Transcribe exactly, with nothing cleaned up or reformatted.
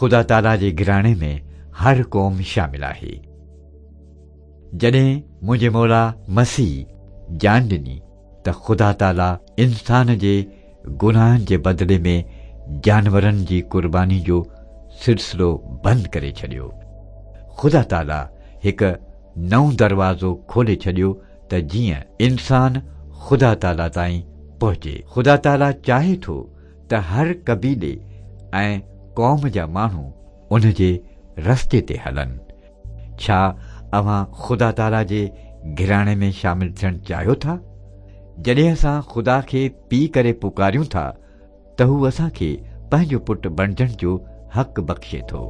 खुदा ताला जे घराणे में हर क़ौम शामिल आहे। जॾहिं मुंहिंजे मौला मसीह जान ॾिनी त खुदा ताला इंसान जे गुनाहनि जे बदिले में जानवरनि जी कुर्बानी जो सिलसिलो बंदि करे छॾियो। खुदा ताला हिकु नओं दरवाज़ो खोले छॾियो त जीअं इंसान खुदा ताला ताईं पहुचे। खुदा ताला चाहे थो त हर कबीले ऐं क़ौम जा माण्हू उन जे रस्ते ते हलनि। छा अव्हां खुदा ताला जे घराणे में शामिल थियणु चाहियो था? जॾहिं असां खुदा खे पीउ करे पुकारियूं था त हू असांखे पंहिंजो पुट बणिजण जो हक़ बख़्शे थो।